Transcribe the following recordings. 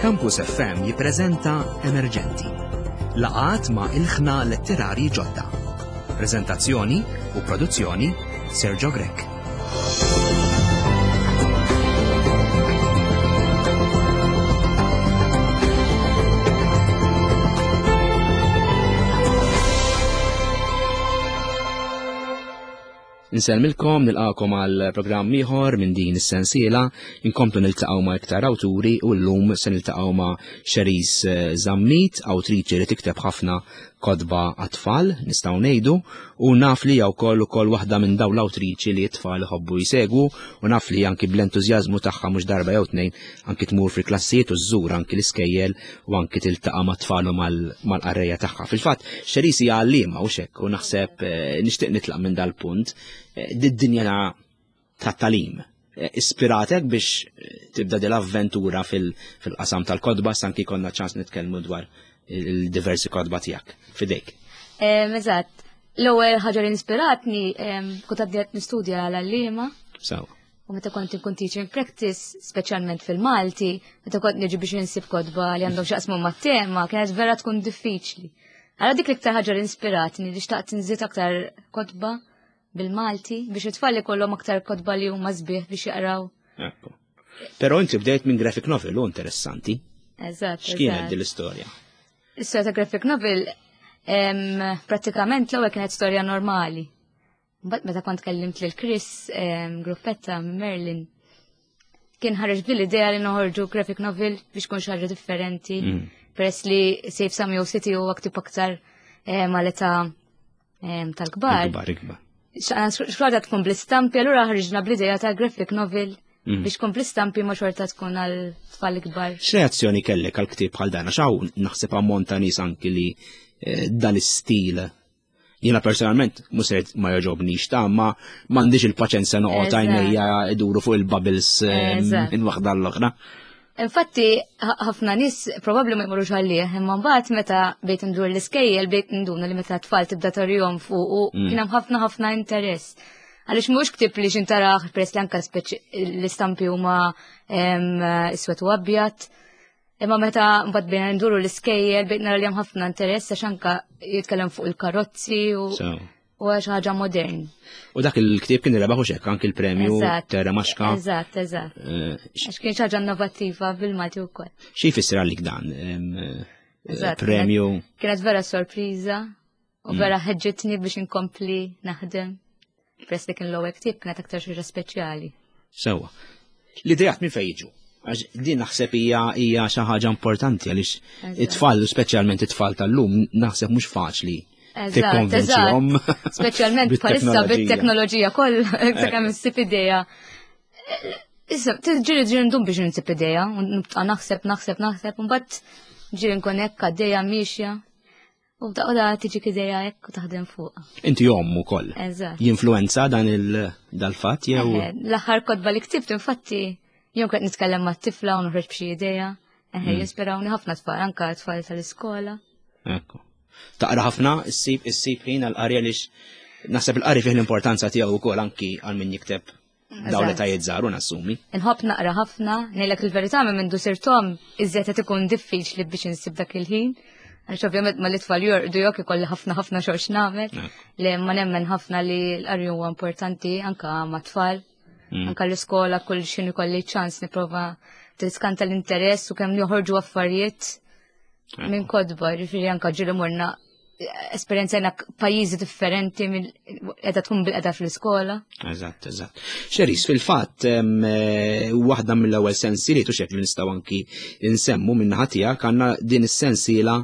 Campus FM jippreżenta Emerġenti. Laqat ma' ilħna letterari ġodda. Preżentazzjoni u produzzjoni Sergio Grech. Insellmilkom nilqakom għal programm ieħor minn din is-sensiela, inkomplu niltaqgħu ma' iktar awturi u llum se niltaqgħu ma' Cherise eh, Zammit, awtriċi li tikteb ħafna kotba għat-tfal, nistgħu ngħidu, u naf li hija wkoll ukoll waħda minn dawn l-awtriċi li t-tfal iħobbu jsegwu u naf li anki bl-entużjażmu tagħha mhux darba jew tnejn anki tmur fil-klassijiet u żżur anki l-iskejjel u anki tiltaqa' mat-tfal u mal-qarrejja tagħha. Fil-fatt, Cherise hija għalliema u xekk u naħseb eh, nixtieq nitlaq minn dal-punt eh, did-dinja tat-tagħlim eh, ispiratek biex tibda dil-avventura fil-qasam tal-kotba, sanki konna ċans nitkellmu dwar il-diversi kotba tiegħek fidejk. Eżatt. L-ewwel ħaġa li inspiratni kont għaddiet nistudja għal għalliema. Sawa. U meta kont inkun teaching practice, speċjalment fil-Malti, meta kont niġi biex insib kotba li għandhom x'jaqsmu mat-tema, kienet vera tkun diffiċli. Għala dik l-iktar ħaġa li inspiratni li xtaqt nżid aktar kotba bil-Malti biex it-tfal ikollhom aktar kotba li huma sbieħ biex jaqraw. Ekku. Però inti bdejt minn graphic novel u interessanti. Eżatt. X'kienet din l-istorja? L-istorja ta' graphic novel prattikament l-ewwel kienet storja normali. Mbagħad meta kont kellimt lil Chris gruppetta minn Merlin kien ħareġ bil-idea li noħorġu graphic novel biex kun xaġa differenti. Mm. Peress li Save Samuel City huwa ktib aktar mal-età tal-kbar. Ikbar, ikbar. Xorta tkun bl-istampi, allura ħarġna bl-idea ta' graphic novel mm. biex tkun bl-istampi ma xorta tkun għal tfal ikbar. X'reazzjoni kellek għal ktieb bħal dan? Għax hawn naħseb ammont ta' nies anki li eh, dan is-stil Jiena personalment mhux ma jogħġobnix ta' ma m'għandix il-paċenza noqgħod għajnejja iduru fuq il-bubbles eh, minn waħda l-oħra. Infatti, ħafna nies probabbli ma jmorrux għalih, imma mbagħad meta bejt ndur l-iskejjel bejt nduna li meta tfal tibda tarihom fuq u mm. kien hemm ħafna ħafna interess. Għaliex mhux ktib li xintaraħ peress li anke l-istampi huma iswed u abjad. Imma meta mbagħad bejna nduru l-iskejjel bejt nara li hemm ħafna interess għax anke jitkellem fuq il-karozzi u u għax ħaġa modern. U dak il-ktieb kien rebaħ u xekk anki l-premju Terra Maxka. Eżatt, eżatt. Eh, għax kien ħaġa innovattiva bil-Malti wkoll. Xi jfisser għalik dan? Eh, premju. Kienet vera sorpriża u mm. vera ħeġġitni biex inkompli naħdem. Press li kien l-ewwel ktieb kienet aktar xi speċjali. Sewa. L-idejat minn fejn jiġu? Għax din naħseb hija hija xi ħaġa importanti għaliex it-tfal, speċjalment it-tfal tal-lum, naħseb mhux faċli tikkonvinċihom. Speċjalment bħalissa bit-teknoloġija kollha, sakemm issib idea. Issa, ġiri ġiri ndum biex nsib idea, nibqa' naħseb, naħseb, naħseb, u mbagħad ġiri nkun hekk għaddejja miexja. U da tiġi ideja hekk u taħdem fuq. Inti omm ukoll. Eżatt. Jinfluenza dan il-dal-fatt jew. L-aħħar kotba li ktibt infatti jew kont nitkellem mat-tifla u noħroġ b'xi idea. Eħe, mm. jispirawni ħafna tfal, anka tfal tal-iskola. Ekku. Taqra ħafna, issib issib ħin għal-qari għaliex naħseb il-qari fih l-importanza tiegħu wkoll anki għal min jikteb Dawn li tajiet żgħar u nassumi. Inħobb naqra ħafna, ngħidlek il-verità minn mindu sirtom iżjed qed ikun diffiċli biex insib dak il-ħin. Għax ovvjament ma l-itfal jorqdu jok ikolli ħafna ħafna xogħol x'nagħmel. Li ma nemmen ħafna li l-qari huwa importanti anka ma' tfal. Mm. Anka l-iskola kull xin ikolli ċans nipprova tiskanta l-interess u kemm joħorġu affarijiet minn kodba, ġifieri anka ġieli morna esperjenzajna pajjiżi differenti minn qiegħda tkun bil-qeda fl-iskola. Eżatt, eżatt. Xeris, fil-fatt eh, waħda mill-ewwel sensiliet u xek li nistgħu anki nsemmu minn naħa tiegħek għandna din is-sensiela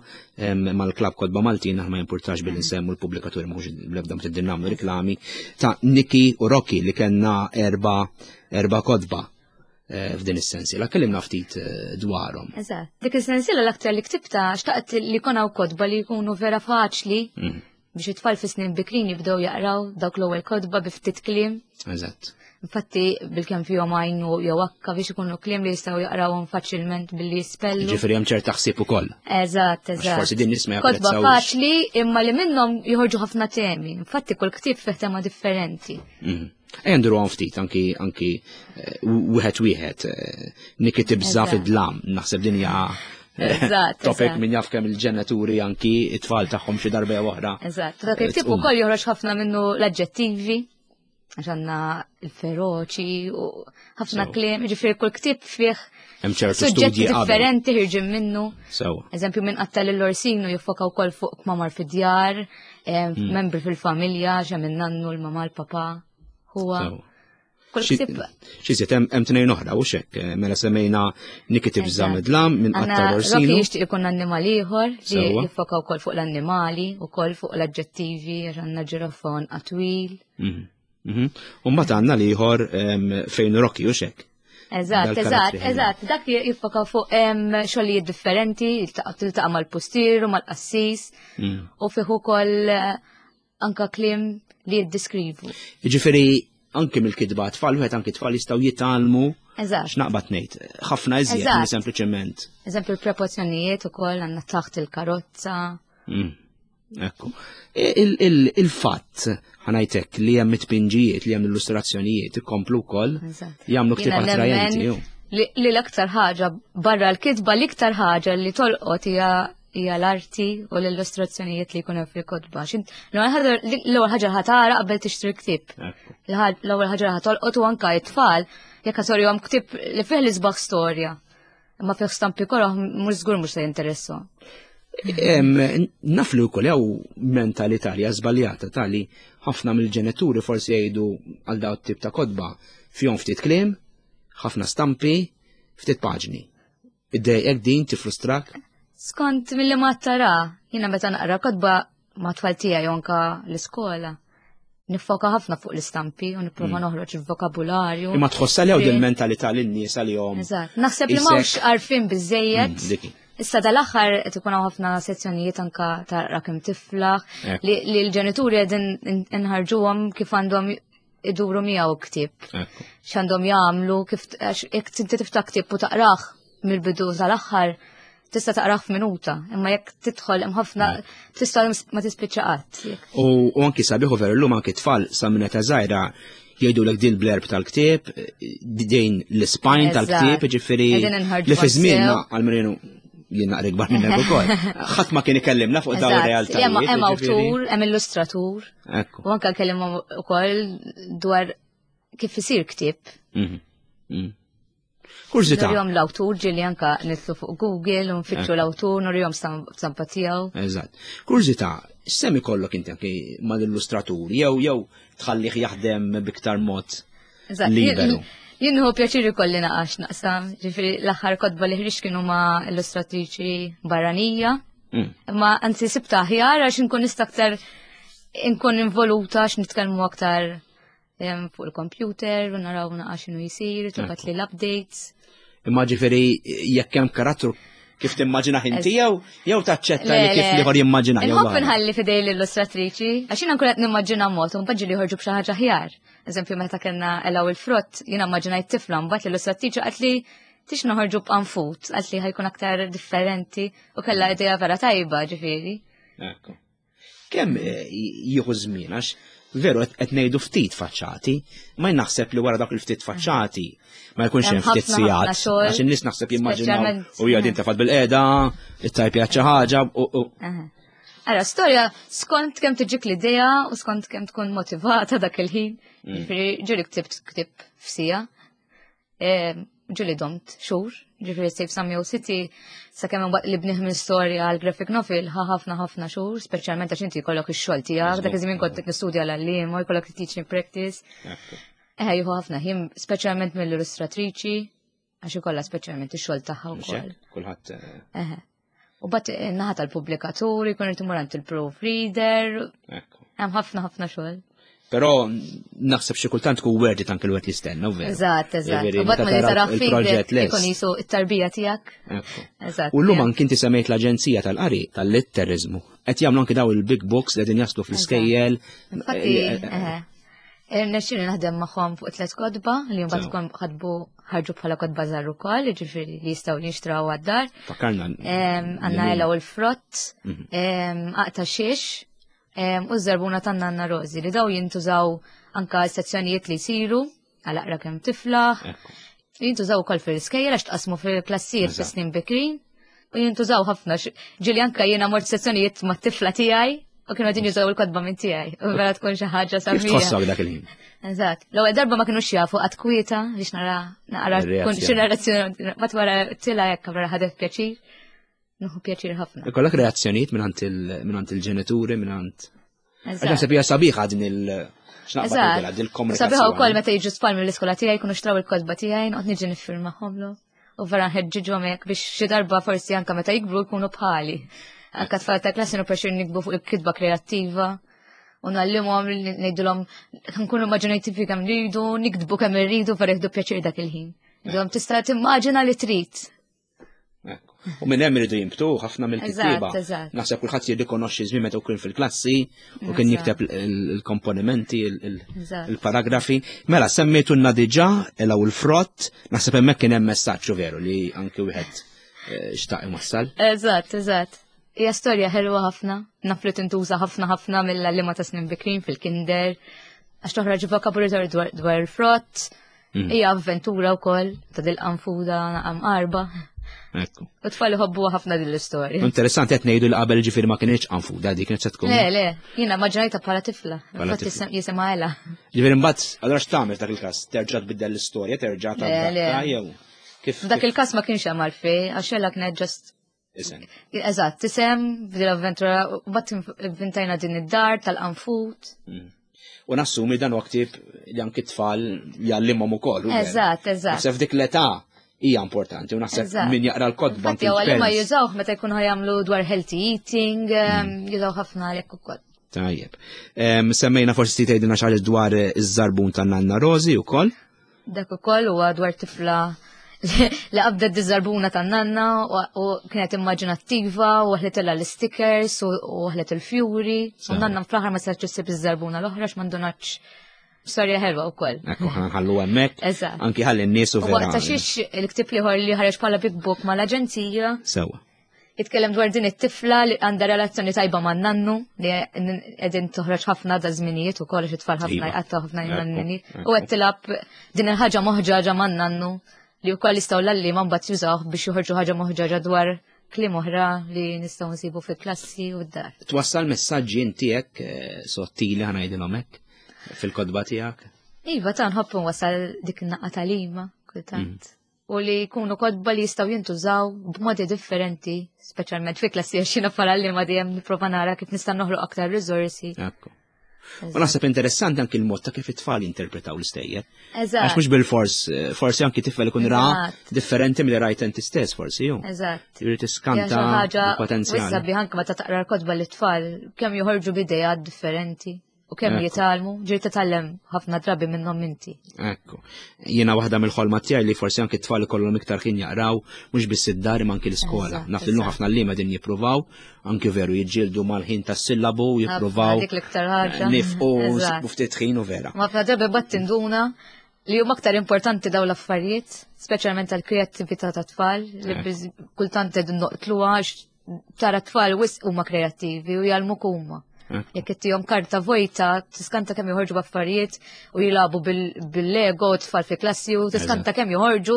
mal-Klabb Kotba Maltin aħna ma jimpurtax billi nsemmu l-pubblikaturi mhux bl-ebda ma nagħmlu riklami ta' Niki u Rocky li kellna erba' erba' kotba. Eh, f'din is-sensiela. Kellimna ftit eh, dwarhom. Eżatt. Dik is-sensiela l-aktar li ktibta xtaqt li jkun hawn kotba li jkunu vera faċli mm. biex it-tfal fi snin bikrin jibdew jaqraw dawk l-ewwel kotba bi ftit kliem. Eżatt. Infatti bil-kemm fihom għajnu jew akka biex ikunu kliem li jistgħu jaqrawhom faċilment billi jispellu. Ġifieri hemm ċerta ħsieb ukoll. Eżatt, eżatt. Forsi din nisma' Kotba faċli imma li minnhom joħorġu ħafna temi. Infatti kull ktieb fih tema differenti. Mm. Ejja nduru għan ftit anki anki eh, wieħed wieħed eh, Niki tibża fid-dlam, naħseb din hija eh, topic min jaf kemm il-ġenituri anki it-tfal tagħhom xi darba jew oħra. Eżatt, dak il-tip ukoll joħroġ ħafna minnu l-aġġettivi għax għandna il-feroċi u ħafna kliem, ġifieri kull ktieb fih Hemm ċertu studji differenti ħirġin minnu. Eżempju minn qatta lil Orsino jiffoka wkoll fuq kmamar fid-djar, membri fil-familja, xa minn nannu l-mama l-papa. Huwa. Xi hemm tnejn oħra u xek, eh, mela semmejna Niki tibża midlam minn qatta Orsino. Rocky jixtieq ikun annimal ieħor li jiffoka wkoll fuq l-annimali, ukoll fuq l-aġġettivi, għandna ġirofon qatwil. Mhm. U mbagħad għandna l-ieħor fejn Rocky u xek. Eżatt, eżatt, eżatt. Dak jiffoka fuq xogħlijiet differenti, tiltaqa' mal-pustier u mal-qassis u fih ukoll eh, anka kliem li jiddiskrivu. Jiġifieri anke mill-kitba tfal, wieħed anke tfal jistgħu jitgħallmu. Eżatt. X'naqbad ngħid, ħafna iżjed sempliċement. Eżempju l-proporzjonijiet ukoll għandna taħt il-karozza. Ekku. Il-fatt, ħanajtek, li hemm it-tpinġijiet, li hemm illustrazzjonijiet, ikomplu wkoll jagħmlu ktieb attrajenti. Li l-aktar ħaġa barra l-kitba l-iktar ħaġa li tolqot hija hija l-arti u l-illustrazzjonijiet li jkunu fil-kotba. L-ewwel ħaġa ħatara qabel tixtri ktieb. L-ewwel ħaġa ħatolqot u anka it-tfal jekk ħatorihom ktieb li fih l-isbaħ storja. Imma fih stampi koroh mhux żgur mhux se jinteressu. Naf li wkoll jew mentalità li żbaljata tali ħafna mill-ġenituri forsi jgħidu għal daw tip ta' kotba fihom ftit kliem, ħafna stampi, ftit paġni. Iddejqek din tifrustrak? Skont milli ma tara, jiena meta naqra kotba ma tfal tiegħi anka l-iskola. Nifoka ħafna fuq l-istampi u nipprova noħroġ il-vokabularju. Imma tħossa li din mentalità lin nies għalihom. Eżatt. Naħseb li m'hawnx għarfien biżejjed. Issa dal-aħħar qed ikun hawn ħafna sezzjonijiet anka ta' rakim tiflaħ li l-ġenituri qegħdin inħarġuhom kif għandhom iduru miegħu ktieb. X'għandhom jagħmlu kif jekk inti tiftaħ ktieb u taqrah mill-bidu tal-aħħar tista' taqrah f'minuta, imma jekk tidħol hemm ħafna tista' ma tispiċċa qatt. U anki sabiħu veru llum anki tfal sa minn età żgħira jgħidulek din l-blerb tal-ktieb, din l-spine tal-ktieb, ġifieri li fi żmienna għal jien naqra ikbar minnek ukoll. Ħadd ma kien ikellimna fuq dawn ir-realtajiet. Hemm awtur, hemm illustratur. U anke kellimhom ukoll dwar kif isir ktieb. Mhm. Mhm. Kurżità. Nurihom l-awtur ġieli anka nitlu fuq Google u nfittxu l-awtur, nurihom stampa tiegħu. Eżatt. Kurżità, x'semm ikollok inti anke mal-illustratur jew jew tħallih jaħdem biktar mod liberu. Jien hu pjaċir ikolli naqax naqsam, ġifieri l-aħħar kotba li ħriġt kienu ma' illustratriċi barranija. Imma anzi sibta aħjar għax inkun nista' aktar inkun involuta għax nitkellmu aktar fuq il-computer u naraw naqa' x'inhu jsir, tibgħat li l-updates. Imma ġifieri jekk hemm karattru kif timmaġina inti jew jew taċċetta li kif liħor jimmaġina jew. Inħobb inħalli fidej l-illustratriċi, għax jiena nkun qed nimmaġina mod u mbagħad ġieli joħorġu b'xi ħaġa aħjar. Eżempju meta kellna elaw il-frott, jiena immaġinajt tifla mbagħad l-illustratriċi qalt li tix noħorġu b'qanfut, qalt li ħajkun aktar differenti u kellha idea vera tajba ġifieri. Ekku. Kemm eh, jieħu żmien għax veru qed ngħidu ftit faċċati, ma naħseb li wara dak il-ftit faċċati ma jkunx hemm ftit sigħat għax in-nies naħseb jimmaġinaw u hija din tafad bil-qiegħda, it-tajpja xi ħaġa u Ara, storja skont kemm tiġik l-idea u skont kemm tkun motivata dak il-ħin. Ġifieri ġieli ktibt ktib f'sija. Ġuli domt xhur, ġifieri Save Samuel City, sakemm imbagħad li bnih minn storja għal graphic novel ħa ħafna ħafna xhur, speċjalment għax inti jkollok ix-xogħol tiegħek, dak iż-żmien kont nistudja l-għalliem u jkollok teaching practice. Eħe jieħu ħafna ħin, speċjalment mill-illustratriċi, għax ikollha speċjalment ix-xogħol tagħha wkoll. Kulħadd. Eh. U bat eh, naħa tal-pubblikatur, jkun irid imur għand il-proofreader. Hemm ħafna ħafna xogħol. Però naħseb xi kultant tkun worth it anke l-wieħed jistenna, veru. Eżatt, eżatt. U bat ma li tara il-proġett lest. Ikun jisu it-tarbija tiegħek. Eżatt. U llum anki inti semmejt l-Aġenzija tal-Qari tal-Litteriżmu. Qed jagħmlu anki daw il-big books li qegħdin jaslu fl-iskejjel. Infatti, eh, eh, eh, Nexxini naħdem magħhom fuq tliet kotba li mbagħad tkun ħadbu ħarġu bħala kotba żgħar ukoll, jiġifieri li jistgħu jinxtraw għad-dar. Fakkarna. Għandna ela u l-frott, mhm. aqta xiex. U ż-żarbuna tan-nanna Rosi li daw jintużaw anka sezzjonijiet li jsiru għal aqra kemm tiflaħ. Jintużaw ukoll fil-iskejjel għax tqasmu fil-klassijiet fis-snin bikrin u jintużaw ħafna. Ġieli anka jiena mort sezzjonijiet mat-tifla tiegħi u kienu għadin jużaw il-kotba minn tiegħi. U vera tkun xi ħaġa sabiħa. Kif tħossok dak il-ħin? Eżatt. L-ewwel darba ma kinux jafu qatt kwieta biex nara naqra tkun xi narrazzjoni mat wara tilha hekk vera ħadet pjaċir. Nuħu pjaċir ħafna. Ikollok reazzjonijiet mingħand il-ġenituri, mingħand. Għax naħseb hija sabiħa din il- Eżatt. Sabiħa wkoll meta jiġu tfal mill-iskola tiegħi jkunu xtraw il-kotba tiegħi noqgħod niġi niffirmahomlu. U vera nħeġġiġhom hekk biex xi darba forsi anke meta jikbru jkunu bħali. Anke tfal ta' klassi nipprexxir nikbu fuq il-kitba kreattiva u nallimhom ngħidulhom nkunu immaġinattivi kemm rridu, nikdbu kemm irridu vera jieħdu pjaċir dak il-ħin. Ngħidulhom tista' timmaġina li trid. U minn hemm iridu jimbtu ħafna mill-kittieba. Naħseb kulħadd jirrikonoxxi żmien meta kien fil-klassi u kien jikteb il-komponimenti, il-paragrafi. Mela semmejtulna diġà elaw il-frott, naħseb hemmhekk kien hemm messaġġ veru li anki wieħed eh, xtaq iwassal. Eżatt, eżatt. Hija storja ħelwa ħafna, naf li tintuża ħafna ħafna mill-għalliema ta' snin bikrin fil-kinder, għax toħroġ vokabularju dwar il-frott. Hija avventura wkoll ta' dil-qanfuda naqam qarba. Ekku. U tfal iħobbu ħafna din l-istorja. Interessanti qed ngħidu li qabel ġifieri ma kienx qanfuda dik kienet se tkun. Le, le, jiena maġġorajta bħala tifla. Infatti jisimha Ela. Ġifieri mbagħad allura x'tagħmel f'dak il-każ? Terġa' tbiddel l-istorja, terġa' tadatta jew kif? F'dak il-każ ma kienx hemm għalfejn, għax Ela kienet ġast Isem. Eżatt, isem, f'din l-avventura, u bat inventajna din id-dar tal-qanfut. U nassumi dan huwa ktieb li anki tfal jgħallimhom ukoll. Eżatt, eżatt. Naħseb f'dik l-età hija importanti u naħseb min jaqra l-kotba. Infatti għalli ma jużawh meta jkunu jagħmlu dwar healthy eating, jużaw ħafna għalhekk ukoll. Tajjeb. Semmejna forsi tgħidilna xi ħaġa dwar iż-żarbun ta' Nanna Rosi wkoll. Dak ukoll huwa dwar tifla li qabdet diżarbuna tan-nanna u kienet immaġinattiva u ħletilha l-stickers u ħlet il-fjuri. U nanna fl-aħħar ma setgħetx issib iż-żarbuna l-oħra x'ma ndunax storja ħelwa wkoll. Ekku ħallu hemmhekk. Eżatt. Anki ħalli n-nies u vera. Waqt xiex il-ktieb ieħor li ħareġ bħala Big Book mal-aġenzija. Sewwa. Jitkellem dwar din it-tifla li għandha relazzjoni tajba man nannu li qegħdin toħroġ ħafna da żminijiet ukoll għax it-tfal ħafna iva. jqattgħu ħafna jnanni. U qed tilab din il-ħaġa moħġaġa man nannu li wkoll jistgħu lalli ma mbagħad jużawh biex joħorġu ħaġa moħġaġa dwar kliem oħra li nistgħu nsibu fil-klassi u d-dar. Twassal messaġġi inti hekk eh, sottili ħanajdilhom hekk fil-kotba tiegħek? Iva ta' nħobb nwassal dik in-naqqa tal-ima kultant. U li jkunu kotba li jistgħu jintużaw b'modi differenti, speċjalment fi klassi għax jiena bħala għalliema dejjem nipprova nara kif nista' noħloq aktar riżorsi. Ekku. U naħseb interessanti anki l-mod ta' kif it-tfal jinterpretaw l-istejjer. Eżatt. Għax mhux bil-fors, eh, forsi anki tifel ikun ra differenti milli rajt inti stess forsi ju. Eżatt. Jrid iskanta potenzjal. Sabiħ anke meta taqra l-kotba l-tfal kemm joħorġu b'idejat differenti. U kemm jitgħallmu, ġieli titgħallem ħafna drabi minnhom inti. Ekku. Jiena waħda mill-ħolma tiegħi li forsi anki t-tfal ikollhom iktar ħin jaqraw mhux biss id-dar imma anki l-iskola. Naf li ħafna li ma din jippruvaw, anki veru jiġġieldu mal-ħin tas-sillabu, jippruvaw. Dik l-iktar ħaġa. Nifqu ftit ħin u vera. Ma ħafna drabi bat tinduna li huma aktar importanti daw l-affarijiet, speċjalment tal-kreattività tat-tfal, li kultant qegħdin noqtluha tara tfal wisq huma kreattivi u jgħallmuk huma. Jekk ittihom karta vojta, tiskanta kemm joħorġu b'affarijiet u jilagħbu bil-Lego tfal fi klassi u tiskanta kemm joħorġu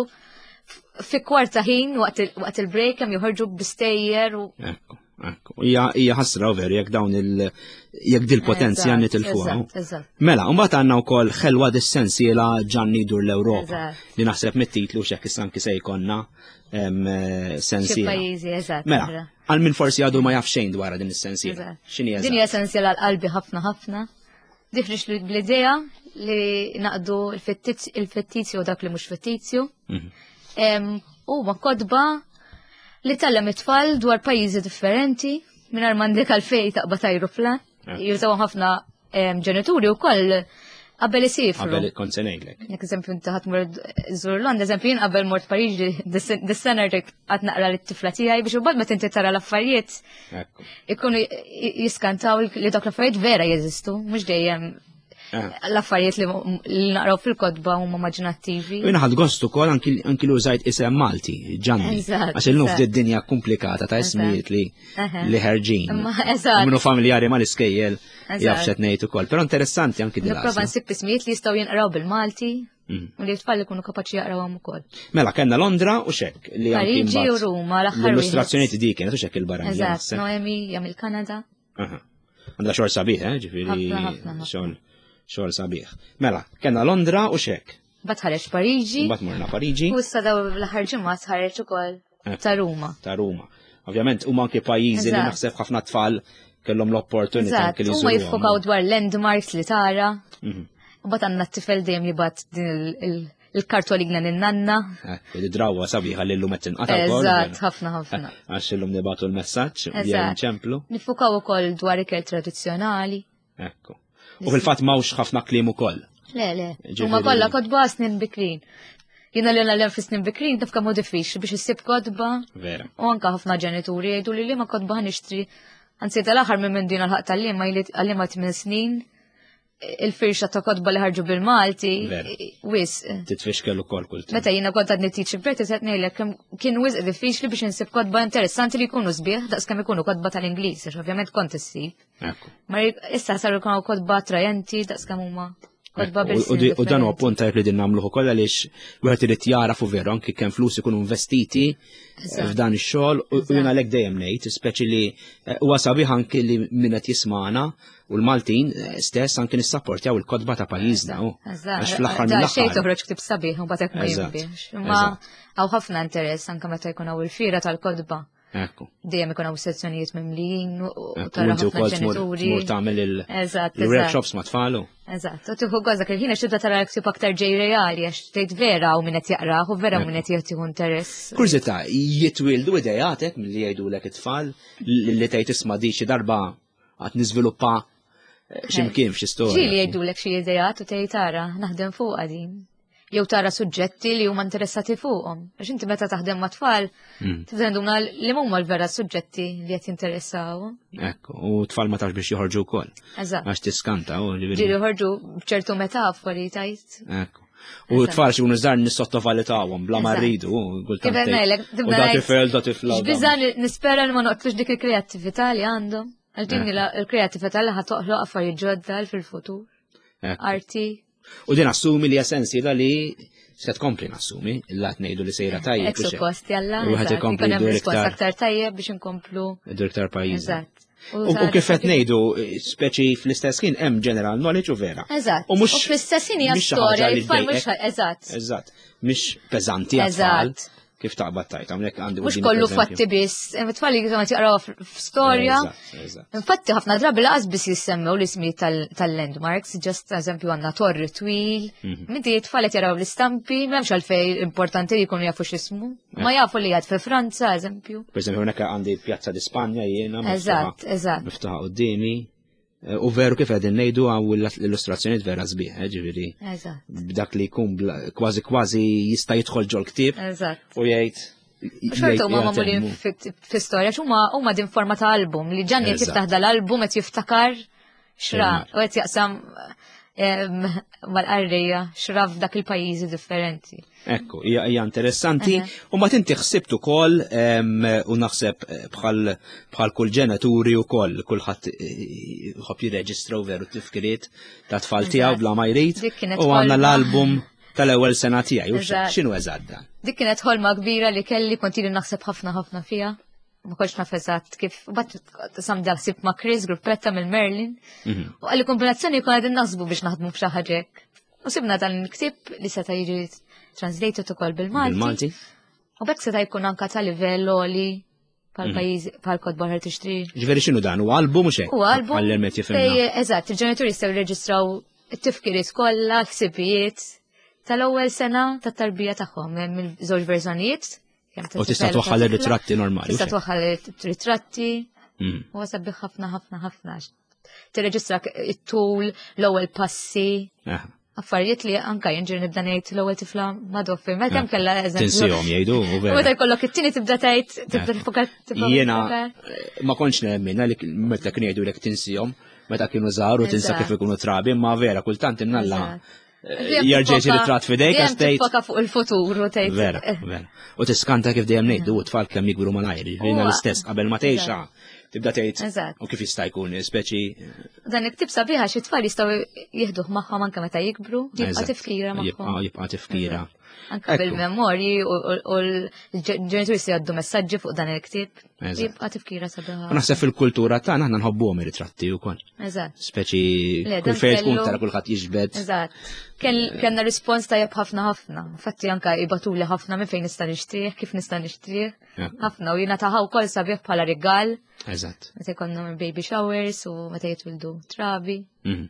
fi kwarta ħin waqt il-break kemm joħorġu bistejjer u. Ekku, ekku. Hija ħasra veru jekk dawn il jekk dil-potenzja nitilfuha. Mela, mbagħad għandna wkoll ħelwa dis-sensiela Ġanni dur l-Ewropa li naħseb mit-titlu x'hekk issa anki se jkollna Eh, sensiela. Pajjiżi, eżatt. Mela, għal min forsi għadu ma jaf xejn dwar din is-sensiela. X'inhi eżatt? Din hija sensiela għal qalbi ħafna ħafna. Difrix bl-idea li naqdu il-fittizju u dak li mhux fittizju. U ma kodba li tellem it-tfal dwar pajjiżi differenti mingħajr m'għandek għalfej taqbad ajruplan. Jużaw ħafna ġenituri wkoll qabel isifru. Qabel kont se ngħidlek. Jekk eżempju inti ħadd mur żur Londra, eżempju jien qabel mort Pariġi dis-sena rrid qatt naqra lit-tifla tiegħi biex imbagħad meta inti tara l-affarijiet ikunu jiskantaw li dawk l-affarijiet vera jeżistu, mhux dejjem. Eh. L-affarijiet li naqraw fil-kotba huma immaġinattivi. U jiena ħadt gost ukoll anki li użajt isem Malti, Ġanni. Għax illum f'din dinja komplikata ta' ismijiet li li ħerġin. Eżatt. Minnu familjari mal-iskejjel jaf x'qed ngħid ukoll. Però interessanti anki din. Nipprova nsib ismijiet li jistgħu jinqraw bil-Malti. U li t-tfal ikunu kapaċi jaqrawhom ukoll. Mela kellna Londra u xek li Pariġi u Ruma l-aħħar. L-illustrazzjoni dik kienet u xek il-barra. Eżatt, Noemi hija mill-Kanada. Għandha xogħol sabiħ, eh, ġifieri xogħol xogħol sabiħ. Mela, kellna Londra u xek. Bat ħareġ Pariġi. Bat morna Pariġi. U issa daw l-aħħar ġimgħa ħareġ ukoll eh, ta' Ruma. Ta' Ruma. Ovvjament huma anke pajjiżi li naħseb ħafna tfal kellhom l-opportunità anke li Huma jiffokaw dwar landmarks li tara. U bat għandna t-tifel dejjem jibgħat din il-kartolina lin-nanna. Eh, id-drawa sabiħa li l-lum qed tinqata' wkoll. Eżatt, ħafna ħafna. Eh, għax illum nibgħatu l-messaġġ jew nċemplu. Nifukaw ukoll dwar ikel tradizzjonali. Ekku. U fil-fatt m'hawnx ħafna kliem ukoll. Le, le. Huma kollha kotba snin bikrin. Jiena li għallem fi snin bikrin taf kemm hu diffiċli biex issib kotba. Vera. U anka ħafna ġenituri jgħidu li liema kotba nixtri. Anzi tal-aħħar minn minn din għal-ħaq tal-liema għallima 8 snin il-firxa ta' kotba li ħarġu bil-Malti, wis. Titfixkel ukoll kultant. Meta jiena kont għadni teaching practice qed ngħidlek kien wisq diffiċli biex insib kotba interessanti li jkunu sbieħ daqs kemm ikunu kotba tal-Ingliż, għax ovvjament kont issib. Ma issa saru jkunu kotba attrajenti daqs kemm huma kotba bil U dan huwa punt tajjeb li din nagħmluh ukoll għaliex wieħed irid jaraf u veru anki kemm flus ikunu investiti f'dan ix-xogħol u jiena għalhekk dejjem ngħid, speċi li eh, huwa sabiħ anki li min qed jismagħna U l-Maltin eh, stess anki nissapportjaw il-kotba ta' pajjiżna. Għax fl-aħħar mill-aħħar. Xejn toħroġ ktib sabiħ u bagħad ma jinbiex. Imma hawn ħafna interess anke meta jkun hawn il-fira tal-kotba. Ekku. Dejjem ikun hawn sezzjonijiet mimlijin u tara ħafna ġenituri. Tmur tagħmel il-workshops ma' tfalu. Eżatt, u tieħu gost dak il-ħin għax tibda tara l-ktib aktar ġej reali għax tgħid vera u min qed jaqrah u vera min qed jieħu interess. Kurżità, jitwildu idejatek milli jgħidulek it-tfal li tgħid isma' di xi darba għad niżviluppa eh, x'imkien f'xi storja. Ġieli jgħidulek xi ideat u tgħid tara naħdem fuqha din. Jew tara suġġetti li huma interessati fuqhom. Għax inti meta taħdem ma' tfal, hmm. tibda nduna li huma l-vera suġġetti li qed jinteressaw. Ekku, u tfal ma tafx biex joħorġu wkoll. Eżatt. Għax tiskanta u ġieli joħorġu b'ċertu metafori tajt. Ekku. U t-tfal xi jkunu żgħar nissottovalutawhom bla ma rridu. U da tifel, da tifla. Biża nispera li ma noqtlux dik il-kreattività li għandhom. Għal din eh. il-kreattività li ħatoħloq affarijiet ġodda fil-futur. Arti. U din assumi li sensi da li se tkompli nassumi, illa ngħidu li sejra tajjeb. Ek suppost, jalla. U ħed ikompli risposta aktar tajjeb biex inkomplu. Dur iktar pajjiż. Eżatt. U kif qed ngħidu, speċi fl-istess ħin hemm general knowledge u vera. Eżatt. U mhux fl-istess ħin hija storja li tfal mhux eżatt. Eżatt. Mhix peżanti għat-tfal. Kif taqbad tajt, hawnhekk għandi. Mhux kollu fatti biss, tfal li qed jaqraw f'storja. Infatti ħafna drabi laqas biss jissemmew l-ismijiet tal-landmarks, just eżempju għandna torri twil. Mhm. Minti tfal qed jaraw l-istampi, m'hemmx għalfej importanti li jkunu jafu x'ismu. Ma jafu li għad fi Franza, eżempju. Per eżempju, hawnhekk għandi Pjazza di Spanja jiena. Eżatt, eżatt. Miftuħa qudiemi. Eh, u veru kif qegħdin ngħidu għaw l-illustrazzjonijiet vera sbieħ, eh, ġifieri. Eżatt. B'dak li jkun kważi kważi jista' jidħol ġol ktieb. Eżatt. U jgħid Xorta huma magħmulin fi-storja, huma huma din forma ta' album li ġanni qed jiftaħ dal-album qed jiftakar xra u qed jaqsam mal-qarrija xra f'dak il-pajjiżi differenti. Ekku, hija interessanti. U ma tinti ħsibt ukoll u naħseb eh, bħal bħal kull ġenituri ukoll kulħadd eh, ħobb jirreġistra u veru tifkiriet ta' tfal tiegħu bla ma jrid. U għandna l-album tal-ewwel sena tiegħi. X'inhu eżatt dan? Dik kienet ħolma kbira li kelli kont ili naħseb ħafna ħafna fiha. Ma kontx naf eżatt kif bat sam dal-ħsieb ma' Chris gruppetta mill-Merlin. Mhm. U għalli kombinazzjoni jkun qegħdin naħsbu biex naħdmu f'xi ħaġa hekk. U sibna dan il-ktieb li seta' jiġi translated ukoll bil-Malti. Bil-Malti. U bekk seta' jkun anka ta' livell oli pal mhm. pajjiż pal kotba ħar tixtri. Ġifieri x'inhu dan? Huwa album mhux hekk? Huwa album. Għall-ermet jifhimna. Eżatt, il-ġenituri jistgħu jirreġistraw it-tifkiriet kollha, l-ħsibijiet tal-ewwel sena tat-tarbija tagħhom hemm il-żewġ verżjonijiet. U tista' twaħħal ir-ritratti normali. Tista' twaħħal ir-ritratti. Mm. U sabiħ ħafna ħafna ħafna. Tirreġistra it-tul, l-ewwel passi. Affarijiet li anka jinġir nibda ngħid l-ewwel tifla ma doffi, meta kemm kellha eżempju. Tinsihom jgħidu. Meta jkollok it-tieni tibda tgħid tibda tifokar Jiena eh, ma kontx nemmen li meta kien jgħidu lek tinsihom. meta kienu żgħar u tinsa kif ikunu trabi, imma vera kultant imnalla eh, jerġa' jsir it-trat f'idejk għax tgħid. Tiffoka fuq il-futur u tgħid. Vera, vera. U tiskanta kif dejjem ngħidu u tfal kemm jikbru malajr, jiena l-istess qabel ma tgħixha tibda tgħid u kif jista' jkun speċi. Dan il-ktib sabiħa xi tfal jistgħu jieħduh magħhom anke meta jikbru, jibqa' tifkira magħhom. Jibqa' tifkira. Anka bil-memorji u l-ġenituri se jgħaddu messaġġi fuq dan il-ktieb. Jibqa' tifkira sabiħa. U naħseb fil-kultura tagħna aħna nħobbuhom ir-ritratti wkoll. Eżatt. Speċi kull fejn tkun tara kulħadd jiġbed. Eżatt. Kellna rispons tajjeb ħafna ħafna. Infatti anka ibatuli ħafna minn fejn nista' nixtrih, kif nista' nixtrih. Ħafna u jiena taħaw wkoll sabiħ bħala rigal. Eżatt. Meta jkollna baby showers u meta jitwildu trabi. Mhm.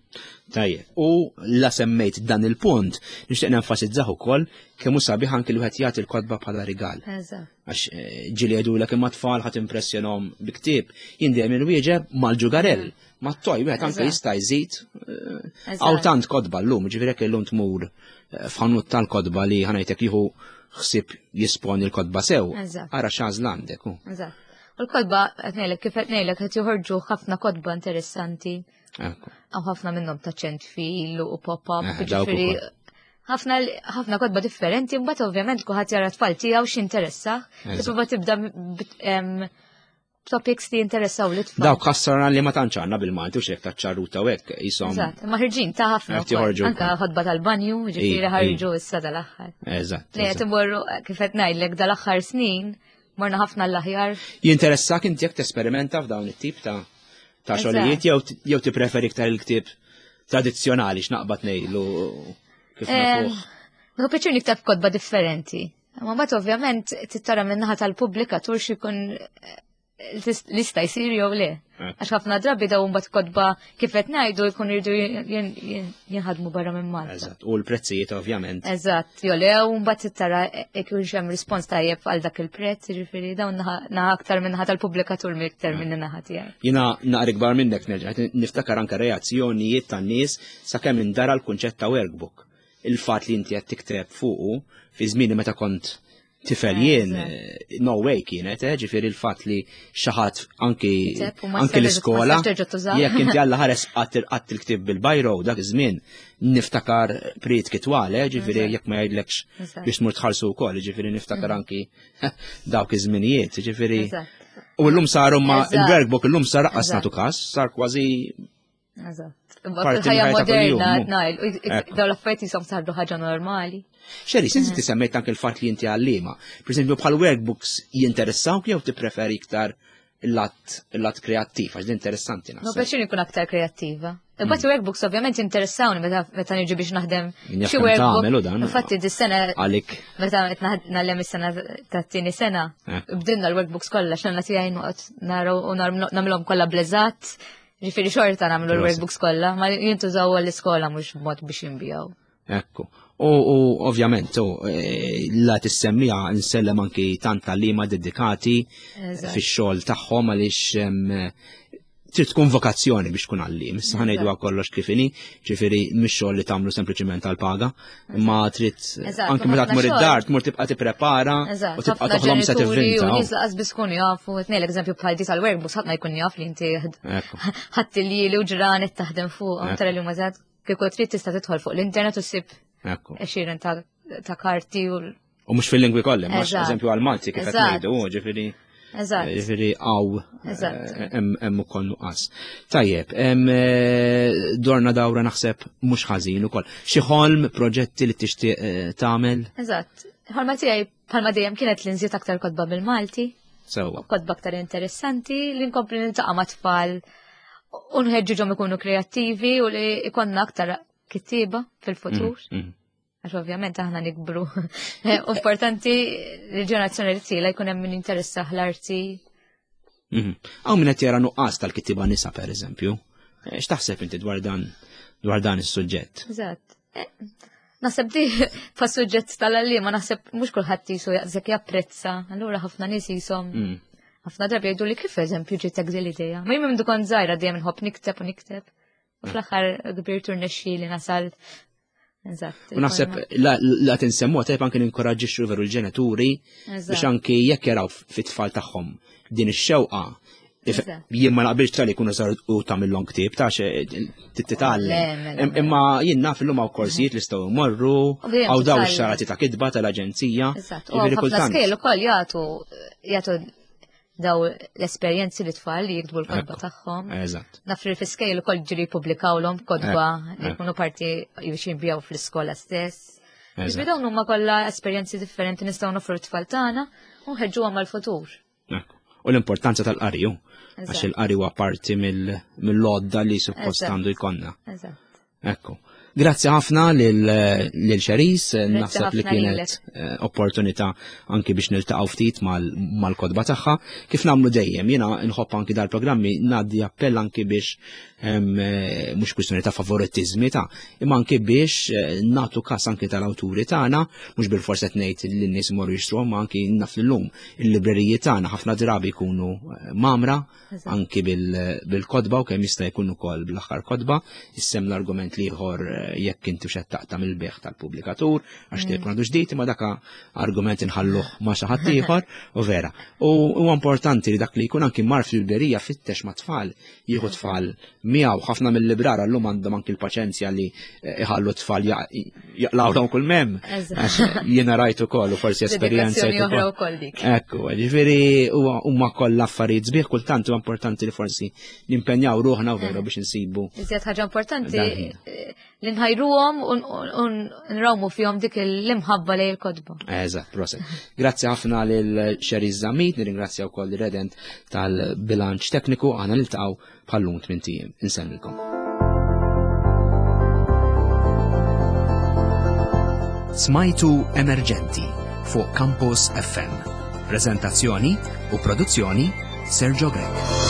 Tajjeb, u la semmejt dan il-punt, nixtieq nenfasizzah ukoll kemm hu sabiħ anki li wieħed jagħti l-kotba bħala rigal. Għax eh, ġieli jgħidulek imma tfal ħadd impressjonhom bi ktieb, jien dejjem inwieġeb mal-ġugarell, mat-toj wieħed anke jista' jżid eh, hawn tant kotba llum, ġifieri jekk illum tmur eh, f'ħanut tal-kotba li ħanajtek jieħu ħsieb jisponi l-kotba sew, ara x'għażla għandek. U l-kotba qed ngħidlek kif qed ngħidlek qed joħorġu ħafna kotba interessanti. Għaw ħafna minnhom ta' ċent fil u pop-up, eh, ġifieri ħafna ħafna kotba differenti, mbagħad ovvjament kulħadd jara tfal tiegħu x'interessa. Tipprova tibda topics li jinteressaw li tfal. Dawk ħassarna li ma tantx għandna bil-Malti u xek ta' ċarruta u hekk jisom. Eżatt, ma ħirġin ta' ħafna. Anka ħodba tal-banju, ġifieri ħarġu issa dal-aħħar. Eżatt. Li qed imorru kif qed ngħidlek dal-aħħar snin morna ħafna l-aħjar. Jinteressak inti jekk tesperimenta f'dawn it-tip ta' ta' xogħlijiet jew tippreferi iktar il-ktieb tradizzjonali x'naqbad ngħidlu kif nafuh. Nieħu pjaċir nikteb kotba differenti. Ma mbagħad ovvjament tittara min-naħa tal-pubblikatur x'ikun eh, lista jsir jew le. Eh. Għax ħafna drabi daw mbagħad kotba kif qed ngħidu jkun irdu jinħadmu barra minn Malta. Eżatt, u l-prezzijiet ovvjament. Eżatt, jew le u mbagħad tara jekk hemm rispons tajjeb għal dak il-prezz, jiġifieri dawn naħa aktar minn naħa tal-pubblikatur minn iktar minn naħa tiegħi. Jiena naqra ikbar minnek nerġa' niftakar anke reazzjonijiet tan-nies sakemm indara l-kunċett ta' workbook. Il-fatt li inti qed tikteb fuqu fi żmieni meta kont tifel jien, eh, no way kienet, eh, ġifieri l-fatt li xi ħadd anki anki l-iskola, jekk inti għalla ħares qatt il-ktib bil-bajro dak iż-żmien niftakar prit kitwal, eh, ġifieri jekk ma jgħidlekx biex tmur tħallsu wkoll, ġifieri niftakar mm. anki dawk iż-żminijiet, ġifieri. U llum saru ma il-workbook illum sar qas nagħtu każ, sar kważi Eżatt. Fil-ħajja moderna, najl, daw l-affarijiet jisom saru ħaġa normali. Xeri, sinti mm. semmejt anke l-fatt li inti għallima. Per esempio, bħal workbooks jinteressawk jew tippreferi iktar il-lat kreattiv, għax interessanti naħseb. No, peċin ikun aktar kreattiva. Imbagħad mm. workbooks ovvjament jinteressawni meta niġi biex naħdem xi workbook. Infatti dis-sena għalik. Meta qed nagħlem is-sena tat-tieni sena, eh. bdilna l-workbooks kollha x'għandna tiegħi noqgħod naraw u nagħmilhom kollha bleżat. Ġifieri xorta nagħmlu l-workbooks kollha, ma jintużaw għall-iskola mhux b'mod biex jinbijaw. Ekku. U ovvjament, e, la tissemmija nsellem anki tant tal-lima dedikati fix-xogħol tagħhom għaliex trid tkun vokazzjoni biex tkun għallim. Issa ħanejdu kollox kif inhi, ġifieri mhix xogħol li tagħmlu sempliċiment għall-paga, imma trid anke meta tmur id-dar tmur tibqa' tipprepara u tibqa' toħlom se tivvinta. U nies laqas biss kunu jafu, qed ngħidlek eżempju bħal di tal-workbooks ħadd ma jkun jaf li inti ħadd il-lieli u ġranet taħdem fuq, tara li huma kieku trid tista' tidħol fuq l-internet u ssib għexieren ta' karti u U mhux fil-lingwi kollha, ma eżempju għal-Malti kif qed ngħidu, ġifieri. Eżatt. Ġifieri għaw eh, hemm ukoll nuqqas. Tajjeb, eh, dorna dawra naħseb mhux ħażin ukoll. Xi ħolm proġetti li tixtieq eh, tagħmel? Eżatt. Ħolma tiegħi bħalma dejjem kienet li nżid aktar kotba bil-Malti. Sewwa. Kotba aktar interessanti li nkompli niltaqa' ma' tfal u nħeġġiġhom ikunu kreattivi u li ikonna aktar kittieba fil-futur. Mm, mm. Għax ovvjament aħna nikbru. Importanti li ġenerazzjoni li tila jkun hemm min interessa l-arti. Mhm. Hawn min qed jara nuqqas tal-kittieba nisa pereżempju. Eh, x'taħseb inti dwar dan dwar dan is-suġġett? Eżatt. Eh, naħseb di fa' suġġett tal-għalliema naħseb mhux kulħadd jisu jaqsek japprezza, allura ħafna nies jisom. Mm. Ħafna drabi jgħidu li kif eżempju ġitek din l-idea. Ma jien minn kont żgħira dejjem inħobb nikteb u nikteb. U fl-aħħar kbir turnexxi li nasal. Eżatt. U naħseb la tinsemmu tajb anke ninkoraġġixxu veru l-ġenituri biex anke jekk jaraw fit-tfal tagħhom din ix-xewqa. Jien ma naqbilx tal jkunu sar u tagħmilhom ktieb ta' titgħallem. Mela. Imma jien naf illum hawn korsijiet li jistgħu jmorru, hawn daw ix-xarati ta' kitba tal-aġenzija. Eżatt, u ħafna skejl ukoll jagħtu jagħtu daw l-esperjenzi li tfal li jiktbu l-kodba tagħhom. Eżatt. Naf li fl-iskejl ukoll ġiri jippubblikawlhom kodba li jkunu parti biex jinbijaw fl-iskola stess. Ġifieri dawn huma kollha esperjenzi differenti nistgħu nofru t-tfal tagħna u nħeġġuhom għall-futur. U l-importanza tal-qari, għax il-qari huwa parti mill-lodda li suppost għandu jkollna. Ekku. Grazzi ħafna lil Xeris, naħseb li kienet eh, opportunità anki biex niltaqgħu ftit mal-kodba tagħha. Kif nagħmlu dejjem, jiena nħobb anki dal-programmi ngħaddi appell anki biex Eh, mhux kwistjoni ta' favorittiżmi ta' imma anki biex eh, nagħtu każ anki tal-awturi tagħna, mhux bil-fors qed ngħid li n-nies imorru jixtruhom, ma anki naf llum il-libreriji tagħna ħafna drabi jkunu eh, mamra anki bil-kodba u kemm jista' jkun ukoll bl-aħħar kodba, issem l-argument liħor jekk inti xed taqta' mill-beħ tal-pubblikatur għax mm. tkun għandu ġdid imma daka argument inħalluh ma' xi ħadd ieħor u vera. U huwa importanti li dak li jkun anki mar fil-librerija fittex ma' tfal jieħu tfal miegħu ħafna mill-librara llum għandhom anki l-paċenzja li eh, iħallu tfal jaqlawhom kull mem. Jiena rajt ukoll u forsi esperjenza. Ekku, ġifieri huma kollha affarijiet sbieħ kultant huwa importanti li forsi nimpenjaw ruħna u veru biex insibu. Iżjed ħaġa importanti eh, li nħajruhom u nrawmu fihom dik l-imħabba lejn il-kotba. Eżatt, proset. Grazzi ħafna lil Xeri Zamit, nirringrazzja wkoll Redent tal-bilanċ tekniku, aħna niltaqgħu bħallum tmien ijiem. Insemmilkom. Smajtu Emerġenti fuq Campus FM. Prezentazzjoni u produzzjoni Sergio Grech.